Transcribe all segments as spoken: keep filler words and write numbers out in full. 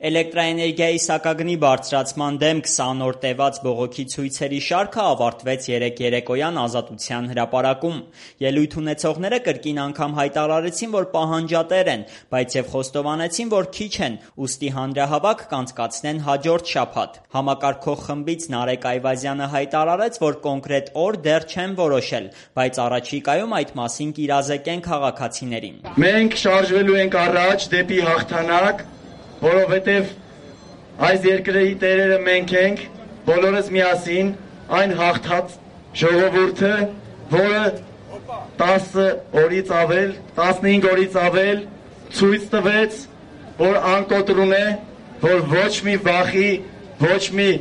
Էլեկտրաէներգիայի սակագնի բարձրացման դեմ քսան օր տևած բողոքի ցույցերի շարքը ավարտվեց երեկ երեկոյան Ազատության հրապարակում։ Ելույթ ունեցողները կրկին անգամ հայտարարեցին, որ պահանջատեր են, բայց եւ խոստովանեցին, որ քիչ են, ուստի հանրահավաք կանցկացնեն հաջորդ շաբաթ։ Համակարգող խմբից Նարեկ Այվազյանը հայտարարեց, որ կոնկրետ օր դեռ չեն որոշել, բայց առաջիկայում այդ մասին կիրազեկեն քաղաքացիներին։ Մենք շարժվելու ենք առաջ դեպի հաղթանակ, որովհետև այս երկրի տերերը մենք ենք, բոլորս միասին, այն հաղթած ժողովուրդը, որը տասը օրից ավել, տասնհինգ օրից ավել ցույց տվեց, որ անկոտրում է, որ ոչ մի վախի, ոչ մի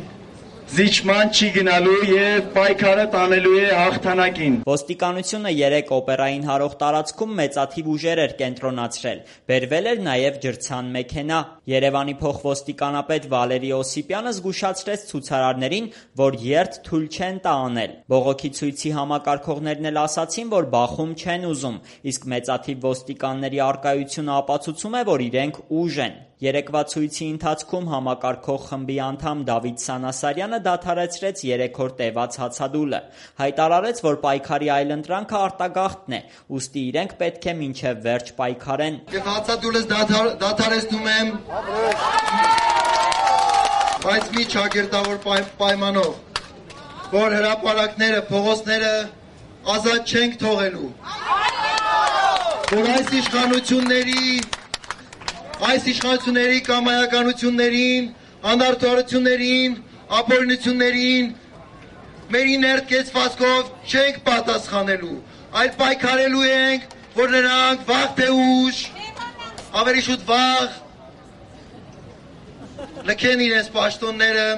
զիջման չի գնալու եւ պայքարը տանելու է հաղթանակին։ Ոստիկանությունը երեկ օպերային հարող տարածքում մեծաթիվ ուժեր էր կենտրոնացրել։ Բերվել էր նաեւ ջրցան մեքենա։ Երևանի փոխոստիկանապետ Վալերի Օսիպյանը զգուշացրեց ցուցարարներին, որ երթ թույլ չեն տա անել։ Բողոքի ցույցի համակարգողներն էլ ասացին, որ բախում չեն ուզում, իսկ մեծաթիվ ոստիկանների առկայությունը ապացուցում է, որ իրենք ուժ են։ Երեկվա ցույցի ընթացքում համակարգող խմբի անդամ Դավիթ Սանասարյանը դադարեցրեց երեք օր տևած հացադուլը։ Հայտարարեց, որ պայքարի այլընտրանքը արտագաղթն է, ուստի իրենք պետք է մինչև վերջ պայքարեն։ Եվ հացադուլս դադարեցնում եմ, բայց մի ճակերտավոր պայմանով, որ հրապարակները, փողոցները ազատ չենք թողելու, որ այս իշխանությունների Այս իշխանությունների կամայականություններին, անարդարություններին, ապօրինություններին մեր իներտկեցվածքով չենք պատասխանելու, այլ պայքարելու ենք, որ նրանք վաղ թե ուշ, ավելի շուտ վաղ լքեն իրենց պաշտոնները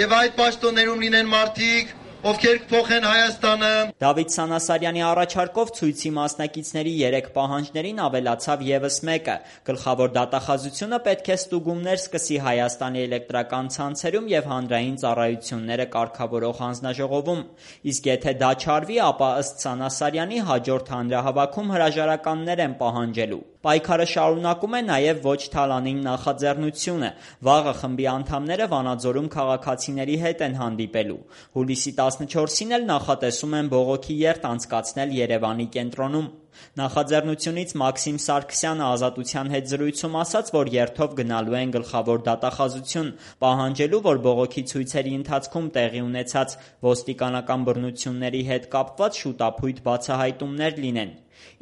եւ այդ պաշտոններում լինեն մարդիկ, ովքեր կփոխեն Հայաստանը։ Դավիթ Սանասարյանի առաջարկով ցույցի մասնակիցների երեք պահանջներին ավելացավ եւս մեկը։ Գլխավոր դատախազությունը պետք է ստուգումներ սկսի Հայաստանի էլեկտրական ցանցերում եւ հանրային ծառայությունները կարգավորող հանձնաժողովում։ Իսկ եթե դա չարվի, ապա ըստ Սանասարյանի հաջորդ հանրահավաքում հրաժարականներ են պահանջելու։ Պայքարը շարունակում է նաև ոչ թալանին նախաձեռնությունը։ Վաղը խմբի անդամները Վանաձորում քաղաքացիների հետ են հանդիպելու։ Հուլիսի տասնչորսին էլ նախատեսում են բողոքի երթ անցկացնել Երևանի կենտրոնում։ Նախաձեռնությունից Մաքսիմ Սարգսյանը Ազատության հետ զրույցում ասաց, որ երթով գնալու են գլխավոր դատախազություն, պահանջելու, որ բողոքի ցույցերի ընթացքում տեղի ունեցած ոստիկանական բռնությունների հետ կապված շուտափույթ բացահայտումներ լինեն։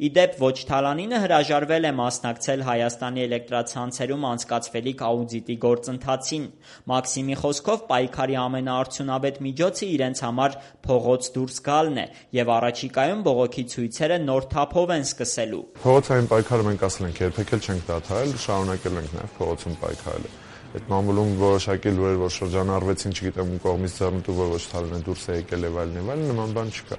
Իդեպ ոչ թալանինը հրաժարվել է մասնակցել Հայաստանի էլեկտրացանցերում անցկացվելիք աուդիտի գործընթացին։ Մաքսիմի խոսքով պայքարի ամենաարդյունավետ միջոցը իրենց համար փողոց դուրս գալն է եւ առաջիկայում բողոքի ցույցերը նոր թափով են սկսելու։ Փողոցային պայքարը մենք ասել ենք երբեք էլ չենք դադարել, շարունակել ենք նաեւ փողոցում պայքարել։ Այդ մամուլում որոշակի լուրեր, որ շրջանառվեցին, չգիտեմ ում կողմից ձեռնտու, որ ոչ թալանը դուրս է եկել եւ այլն եւ այլն, նման բան չկա։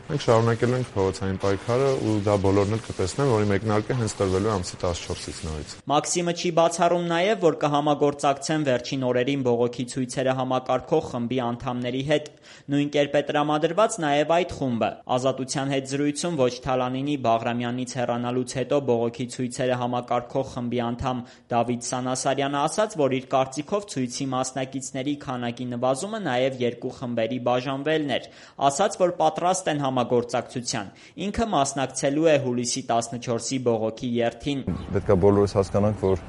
Մենք շարունակել ենք փողոցային պայքարը ու դա բոլորն էլ կտեսնեն, որի մեկնարկը հենց տրվելու է ամսի տասնչորսից նորից։ Մաքսիմը չի բացառում նաև, որ կհամագործակցեն վերջին օրերին բողոքի ցույցերը համակարգող խմբի անդամների հետ։ Նույն կերպ է տրամադրված նաև այդ խումբը։ Ազատության հետ զրույցում ոչ թալանինի Բաղրամյանից հեռանալուց հետո բողոքի ցույցերը համակարգող խմբի անդամ Դավիթ Սանասարյանը ասաց, որ իր կարծիքով ցույցի մասնակիցների քանակի նվազումը նաև երկու խմբերի բաժանվելն էր։ Ասաց, որ պատրաստ են համագործակցության։ Ինքը մասնակցելու է հուլիսի տասնչորսի բողոքի երթին։ Պետք է բոլորս հասկանանք, որ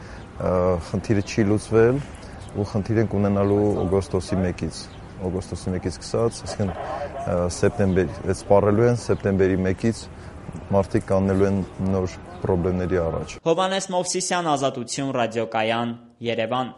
խնդիրը չի լուծվել ու խնդիր ենք ունենալու օգոստոսի մեկից։ Օգոստոսի մեկից սկսած, այսինքն սեպտեմբեր, այդ սպառելու են սեպտեմբերի մեկից մարդիկ կաննելու են նոր խնդիրների առաջ։ Հովհաննես Մովսիսյան, Ազատություն, ռադիոկայան, Երևան։